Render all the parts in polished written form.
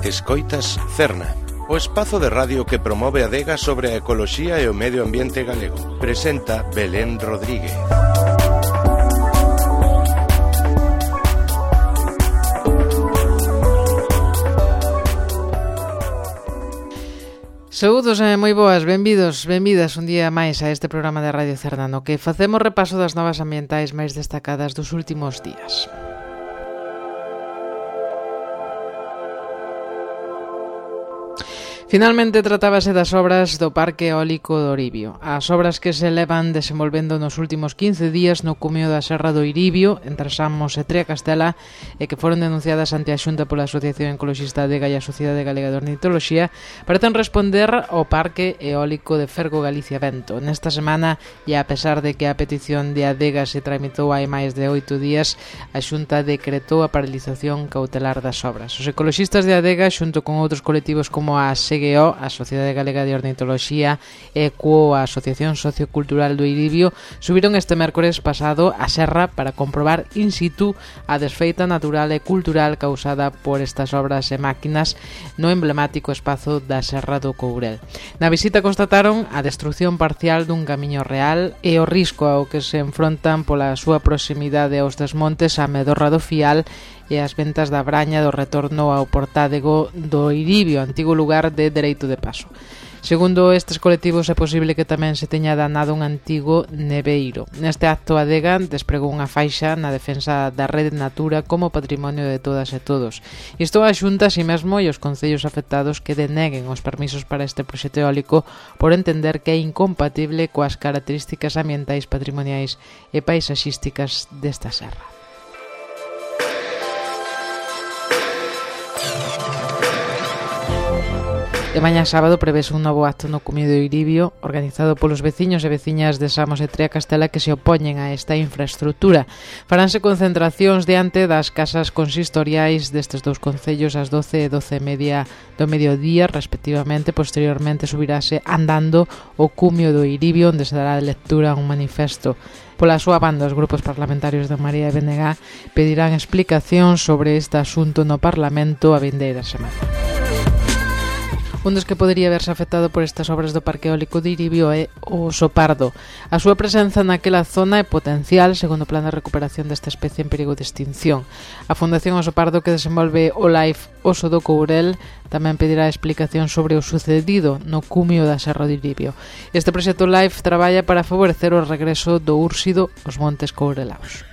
Escoitas Cerna, o espazo de radio que promove a adega sobre a ecoloxía e o medio ambiente galego. Presenta Belén Rodríguez. Saúdos e moi boas, benvidas un día máis a este programa de Radio Cerna, no que facemos repaso das novas ambientais máis destacadas dos últimos días. Finalmente tratábase das obras do Parque Eólico do Iribio. As obras que se levan desenvolvendo nos últimos 15 días no cumio da Serra do Iribio, entre Samos e Triacastela, e que foron denunciadas ante a Xunta pola Asociación Ecoloxista Adega e a Sociedade Galega de Ornitoloxía, parecen responder ao Parque Eólico de Fergo Galicia Vento. Nesta semana, e a pesar de que a petición de Adega se tramitou hai máis de 8 días, a Xunta decretou a paralización cautelar das obras. Os ecoloxistas de Adega, xunto con outros colectivos como a SGO, a Sociedade Galega de Ornitoloxía, e a Asociación Sociocultural do Iribio, subiron este mércores pasado a serra para comprobar in situ a desfeita natural e cultural causada por estas obras e máquinas no emblemático espazo da Serra do Courel. Na visita constataron a destrucción parcial dun camiño real e o risco ao que se enfrontan pola súa proximidade aos desmontes a Medorra do Fial e as ventas da Braña do retorno ao Portádego do Iribio, antigo lugar de dereito de paso. Segundo estes colectivos, é posible que tamén se teña danado un antigo neveiro. Neste acto, a Adega despregou unha faixa na defensa da rede Natura como patrimonio de todas e todos. Isto a Xunta, así mesmo, e os concellos afectados que deneguen os permisos para este proxecto eólico por entender que é incompatible coas características ambientais, patrimoniais e paisaxísticas desta serra. E mañá sábado prevese un novo acto no cumio do Iribio organizado polos veciños e veciñas de Samos e Triacastela que se opoñen a esta infraestructura. Faránse concentracións diante das casas consistoriais destes dous concellos ás 12 e 12:30 do mediodía, respectivamente. Posteriormente subirase andando o cumio do Iribio, onde se dará lectura a un manifesto. Pola súa banda, os grupos parlamentarios de María e BNG pedirán explicacións sobre este asunto no Parlamento a vindeira semana. Un dos que podería verse afectado por estas obras do Parque Eólico de Iribio é o oso pardo. A súa presenza naquela zona é potencial, segundo o plan de recuperación desta especie en perigo de extinción. A Fundación Oso Pardo, que desenvolve o LIFE Oso do Courel, tamén pedirá explicación sobre o sucedido no cumio da Serra do Iribio. Este proxecto LIFE traballa para favorecer o regreso do úrsido aos montes courelaos.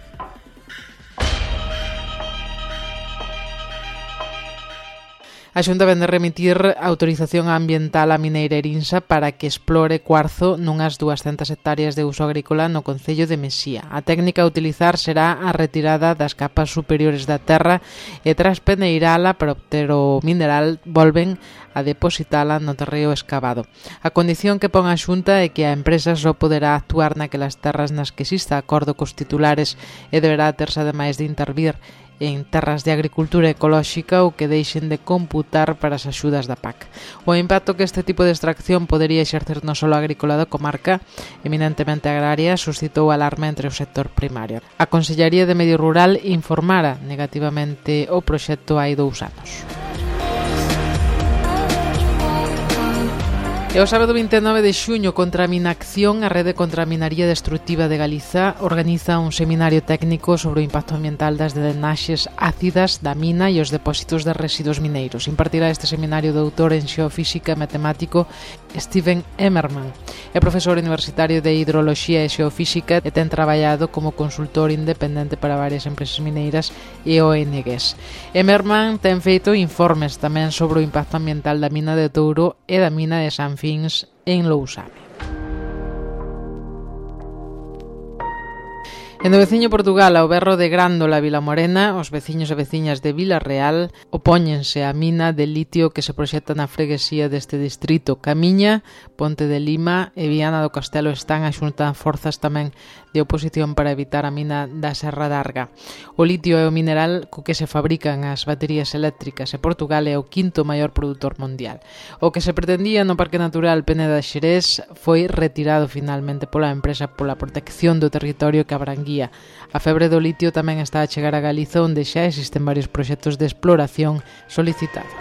A Xunta vén de remitir autorización ambiental á mineira Erinsa para que explore cuarzo nunhas 200 hectáreas de uso agrícola no concello de Mesía. A técnica a utilizar será a retirada das capas superiores da terra e tras peneirala para obter o mineral volven a depositala no terreo escavado. A condición que pon a Xunta é que a empresa só poderá actuar naquelas terras nas que exista acordo cos titulares e deberá terse ademais de intervir en terras de agricultura ecolóxica ou que deixen de computar para as axudas da PAC. O impacto que este tipo de extracción podería exercer no solo agrícola da comarca, eminentemente agraria, suscitou alarma entre o sector primario. A Consellería de Medio Rural informara negativamente o proxecto hai 2 anos. E o sábado 29 de xuño, contra a Minacción, a Rede contra a Minaría Destructiva de Galiza organiza un seminario técnico sobre o impacto ambiental das drenaxes ácidas da mina e os depósitos de residuos mineiros. Impartirá este seminario o doutor en xeofísica e matemático Steven Emmerman. É profesor universitario de hidroloxía e xeofísica e ten traballado como consultor independente para varias empresas mineiras e ONGs. Emmerman ten feito informes tamén sobre o impacto ambiental da mina de Touro e da mina de San Fins en Lousame. En o veciño Portugal, ao berro de Grándola, Vilamorena, os veciños e veciñas de Vila Real opóñense á mina de litio que se proxecta na freguesía deste distrito. Camiña, Ponte de Lima e Viana do Castelo están a xuntar forzas tamén de oposición para evitar a mina da Serra d'Arga. O litio é o mineral co que se fabrican as baterías eléctricas e Portugal é o quinto maior produtor mundial. O que se pretendía no Parque Natural Peneda Xerés foi retirado finalmente pola empresa pola protección do territorio que abranguía. A febre do litio tamén está a chegar a Galiza, onde xa existen varios proxectos de exploración solicitados.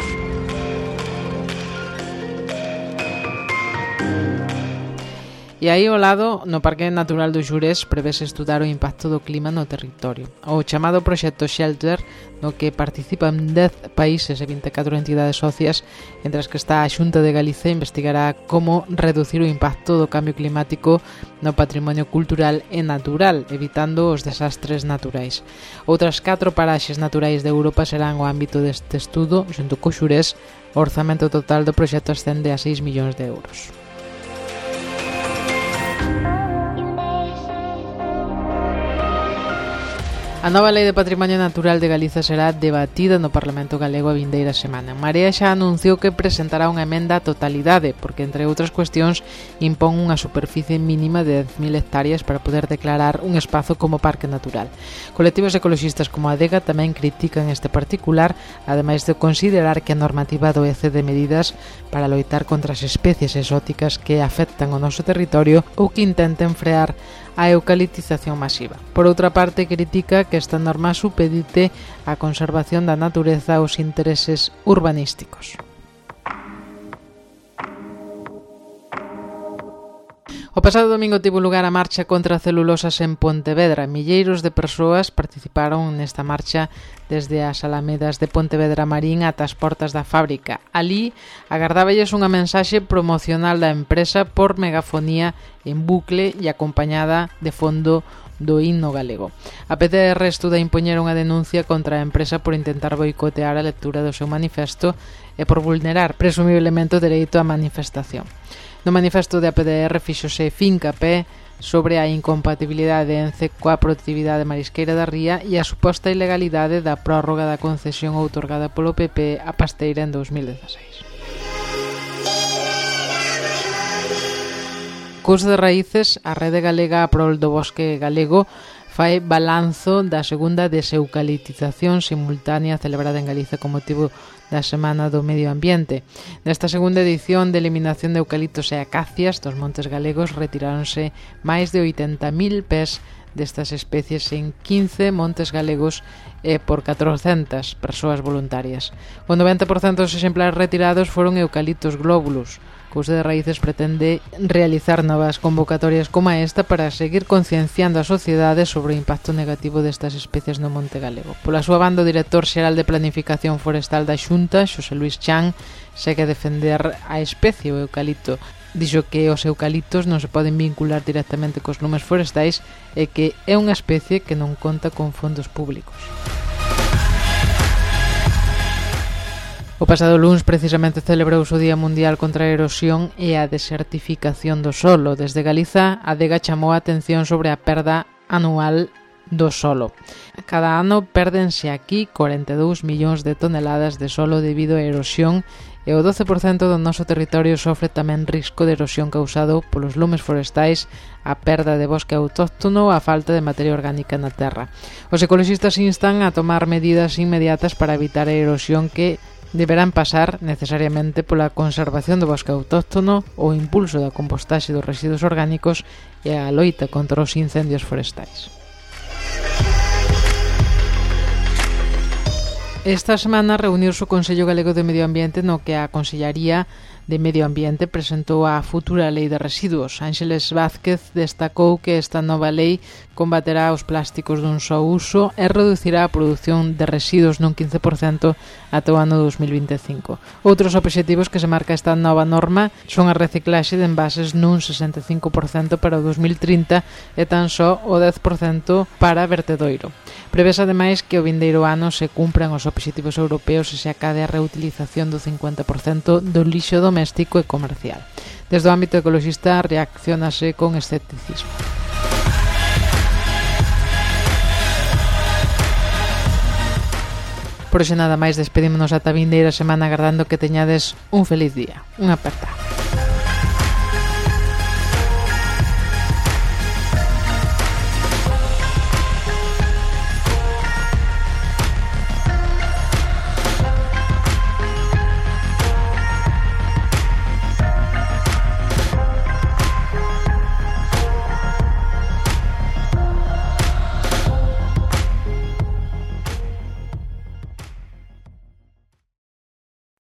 E aí ao lado, no Parque Natural do Xurés, prevese estudar o impacto do clima no territorio. O chamado proxecto Shelter, no que participan 10 países e 24 entidades socias, entre as que está a Xunta de Galicia, investigará como reducir o impacto do cambio climático no patrimonio cultural e natural, evitando os desastres naturais. Outras 4 paraxes naturais de Europa serán o ámbito deste estudo, xunto co Xurés. O orzamento total do proxecto ascende a 6 millóns de euros. A nova Lei de Patrimonio Natural de Galiza será debatida no Parlamento Galego a vindeira semana. Marea xa anunciou que presentará unha emenda á totalidade, porque, entre outras cuestións, impón unha superficie mínima de 10.000 hectáreas para poder declarar un espazo como parque natural. Colectivos ecoloxistas como a Adega tamén critican este particular, ademais de considerar que a normativa adoece de medidas para loitar contra as especies exóticas que afectan o noso territorio ou que intenten frear a eucaliptización masiva. Por outra parte, critica que esta norma supedite a conservación da natureza aos intereses urbanísticos. O pasado domingo tivo lugar a marcha contra celulosas en Pontevedra. Milleiros de persoas participaron nesta marcha desde as alamedas de Pontevedra Marín ata as portas da fábrica. Alí agardáballes unha mensaxe promocional da empresa por megafonía en bucle e acompañada de fondo do himno galego. A PTR estuda impoñer unha denuncia contra a empresa por intentar boicotear a lectura do seu manifesto e por vulnerar presumiblemente o dereito á manifestación. No manifesto de APDR fíxose fincapé sobre a incompatibilidade de ENCE coa produtividade marisqueira da ría e a suposta ilegalidade da prórroga da concesión outorgada polo PP a Pasteira en 2016. Cos de raíces, a Rede Galega a prol do bosque galego fai balanzo da segunda deseucaliptización simultánea celebrada en Galiza con motivo da Semana do Medio Ambiente. Nesta segunda edición de eliminación de eucaliptos e acacias dos montes galegos retiráronse máis de 80.000 pés destas especies en 15 montes galegos e por 400 persoas voluntarias. O 90% dos exemplares retirados foron eucaliptos glóbulos. Cous de Raíces pretende realizar novas convocatorias como esta para seguir concienciando a sociedade sobre o impacto negativo destas especies no monte galego. Pola súa banda, o director xeral de Planificación Forestal da Xunta, Xosé Luís Chan, segue a defender a especie o eucalipto. Dixo que os eucaliptos non se poden vincular directamente cos lumes forestais e que é unha especie que non conta con fondos públicos. O pasado luns precisamente celebrouse o Día Mundial contra a Erosión e a Desertificación do solo. Desde Galiza, a Adega chamou a atención sobre a perda anual do solo. Cada ano pérdense aquí 42 millóns de toneladas de solo debido á erosión e o 12% do noso territorio sofre tamén risco de erosión causado polos lumes forestais, a perda de bosque autóctono ou a falta de materia orgánica na terra. Os ecoloxistas instan a tomar medidas inmediatas para evitar a erosión que deberán pasar necesariamente pola conservación do bosque autóctono, o impulso da compostaxe dos residuos orgánicos e a loita contra os incendios forestais. Esta semana reuniuse o Consello Galego de Medio Ambiente no que a Consellaría de Medio Ambiente presentou a futura Lei de Residuos. Ángeles Vázquez destacou que esta nova lei combaterá os plásticos dun só uso e reducirá a produción de residuos nun 15% ata o ano 2025. Outros obxectivos que se marca esta nova norma son a reciclaxe de envases nun 65% para o 2030 e tan só o 10% para vertedoiro. Prevese ademais que o vindeiro ano se cumpran os obxectivos europeos e se acade a reutilización do 50% do lixo doméstico e comercial. Desde o ámbito ecoloxista reaccionase con escepticismo. Por hoxe nada máis, despedímonos ata a vindeira semana agardando que teñades un feliz día. Unha aperta.